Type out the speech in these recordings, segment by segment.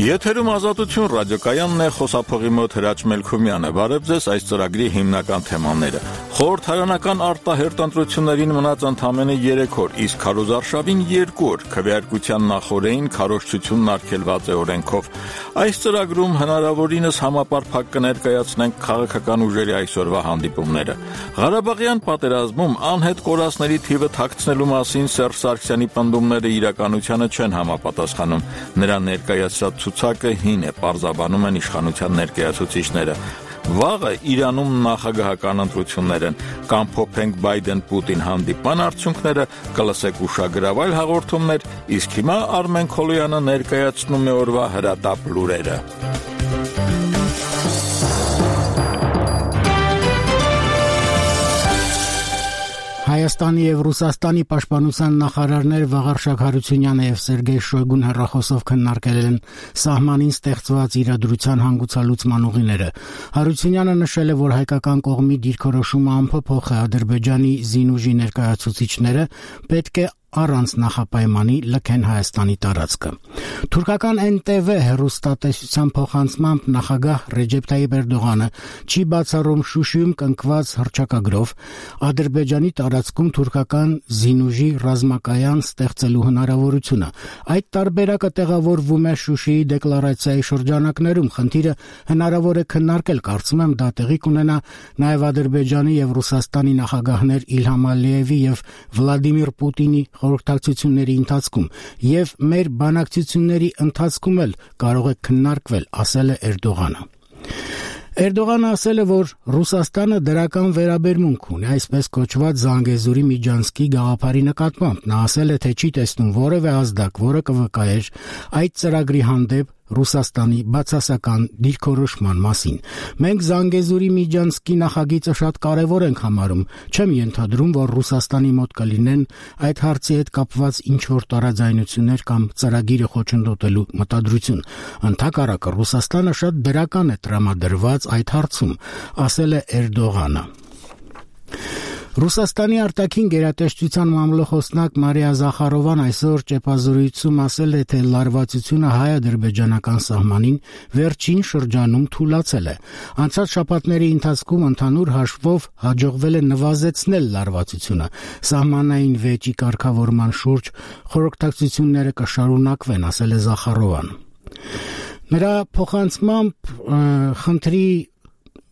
Եթերում Ազատություն ռադիոկայանն է, խոսափողի մոտ Հրաչ Մելքումյանը։ Բարև ձեզ, այս ծրագրի հիմնական թեմաները։ Խորհրդարանական արտահերթ ընտրություններին մնաց ընդամենը 3 օր, իսկ քարոզարշավին 2 օր, քվեարկության նախօրեին քարոզչությունն արգելված է օրենքով։ Այս ծրագրում հնարավորինս համապարփակ կներկայացնենք քաղաքական ուժերի այսօրվա հանդիպումները։ Ղարաբաղյան պատերազմում անհետ կորածների թիվը թաքցնելու մասին Սերժ Սարգսյանի պնդումները իրականությանը չեն համապատասխանում։ Նրա ներկայացրած ցուցակը հին է, պարզաբանում են իշխանության ներկայացուցիչները։ Վաղը Իրանում նախագահական ընտրություններ են, կամ փոփենք Բայդեն-Պուտին հանդիպան արդյունքները, կլսեք ուշագրավ այլ հաղորդումներ, իսկ հիմա Արմեն Քոլոյանը ներկայացնում է օրվա հրատապ լուրերը։ Հայաստանի և Ռուսաստանի պաշտպանության նախարարներ Վաղարշակ Հարությունյանը և Սերգեյ Շոյգուն հեռախոսով քննարկել են սահմանին ստեղծված իրադրության հանգուցալուծման ուղիները։ Հարությունյանը նշել է, որ հայկական կողմի դիրքորոշումը անփոփոխ է, Ադրբեջանի զինուժի ներկայացուցիչները պետք է առանց նախապայմանի լքեն Հայաստանի տարածքը։ Թուրքական NTV հեռուստատեսության փոխանցմամբ նախագահ Ռեջեփ Թայիպ Էրդողանը չի բացառում Շուշիում կնքված հռչակագրով Ադրբեջանի տարածքում թուրքական զինուժի ռազմակայան ստեղծելու հնարավորությունը։ Այդ տարբերակը տեղավորվում է Շուշիի դեկլարացիայի շրջանակներում։ Խնդիրը հնարավոր է քննարկել, կարծում եմ դա տեղի կունենա նաև Ադրբեջանի և Ռուսաստանի նախագահներ Իլհամ Ալիևի և Վլադիմիր Պուտինի խորհրդակցությունների ընթացքում եւ մեր բանակցությունների ընթացքում էլ կարող է քննարկվել, ասել է Էրդողանը։ Էրդողանը ասել է, որ Ռուսաստանը դրական վերաբերմունք ունի այսպես կոչված Զանգեզուրի Միջանցքի գաղափարի նկատմամբ։ Նա ասել է, թե չի տեսնում որևէ ազդակ, որը կվկայեր այդ ծրագրի հանդեպ Ռուսաստանի բացասական դիրքորոշման մասին։ Մենք Զանգեզուրի Միջանցքի նախագիծը շատ կարևոր ենք համարում։ Չեմ ենթադրում, որ Ռուսաստանի մոտ կլինեն այդ հարցի հետ կապված ինչ-որ տարաձայնություններ կամ ծրագիրը խոչընդոտելու մտադրություն։ Ընդհակառակը Ռուսաստանը շատ դրական է տրամադրված այդ հարցում, ասել է Էրդողանը։ Ռուսաստանի արտաքին գերատեսչության մամլոխոսնակ Մարիա Զախարովան այսօր ճեպազրույցում ասել է, թե լարվածությունը հայ-ադրբեջանական սահմանին վերջին շրջանում թուլացել է։ Անցած շաբաթների ընթացքում ընդհանուր հաշվով հաջողվել է նվազեցնել լարվածությունը։ Սահմանային վեճի կարգավորման շուրջ խորհրդակցությունները կշարունակվեն, ասել է Զախարովան։ Նրա փոխանցմամբ խնդրի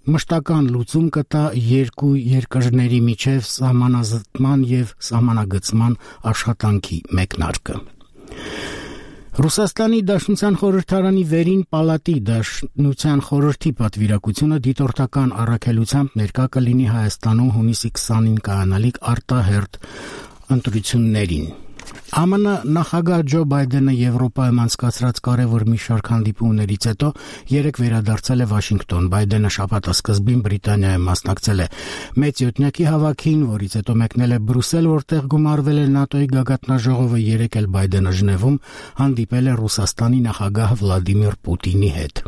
մշտական լուծում կտա երկու երկրների միջև սահմանազատման և սահմանագծման աշխատանքի մեկնարկը։ Ռուսաստանի Դաշնության խորհրդարանի վերին պալատի Դաշնության խորհրդի պատվիրակությունը դիտորդական առաքելությամբ ներկա կլինի Հայաստանում հունիսի 20-ին կայանալիք արտահերթ ընտրություններին։ ԱՄՆ նախագահ Ջո Բայդենը Եվրոպայում անցկացրած կարևոր մի շարք հանդիպումներից հետո երեկ վերադարձել է Վաշինգտոն։ Բայդենը շաբաթասկզբին Բրիտանիայում մասնակցել է մեծ յոթնյակի հավաքին, որից հետո մեկնել է Բրյուսել, որտեղ գումարվել է ՆԱՏՕ-ի գագաթնաժողովը։ Երեկ էլ Բայդենը Ժնևում հանդիպել է Ռուսաստանի նախագահ Վլադիմիր Պուտինի հետ։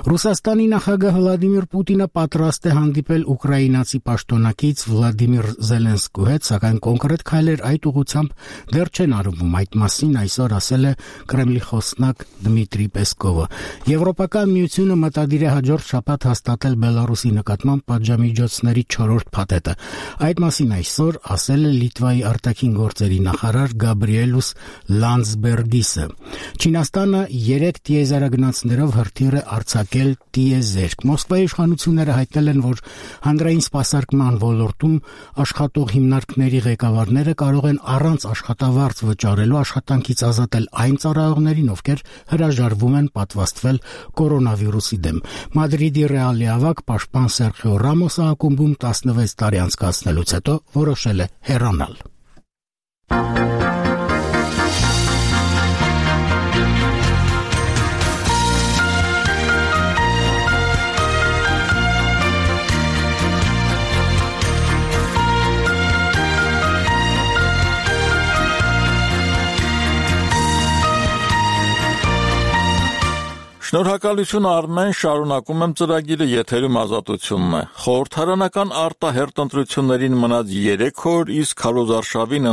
Ռուսաստանի նախագահ Վլադիմիր Պուտինը պատրաստ է հանդիպել ուկրաինացի պաշտոնակից Վլադիմիր Զելենսկու հետ, սակայն կոնկրետ քայլեր այդ ուղղությամբ դեռ չեն արվում։ Այդ մասին այսօր ասել է Կրեմլի խոսնակ Դմիտրի Պեսկովը։ Եվրոպական միությունը մտադիր է հաջորդ շաբաթ հաստատել Բելարուսի նկատմամբ պատժամիջոցների 4-րդ փաթեթը։ Այդ մասին այսօր ասել է Լիտվայի արտաքին գործերի նախարար Գաբրիելուս Լանդսբերգիսը։ Չինաստանը 3 տիեզերագնացներով հրթիռ է արձակել տիեզերք։ Մոսկվայի իշխանությունները հայտնել են, որ հանրային սպասարկման ոլորտում աշխատող հիմնարկների ղեկավարները կարող են առանց աշխատավարձ վճարելու աշխատանքից ազատել այն ծառայողներին, ովքեր հրաժարվում են պատվաստվել կորոնավիրուսի դեմ։ Մադրիդի Ռեալի ավագ պաշտպան Սերխիո Ռամոսը ակումբում 16 տարի անցկացնելուց հետո որոշել է հեռանալ։ Շնորհակալություն Արմեն, շարունակում եմ ծրագիրը, եթերում Ազատությունն է։ Խորհրդարանական արտահերթ ընտրություններին մնաց 3 օր, իսկ քարոզարշավին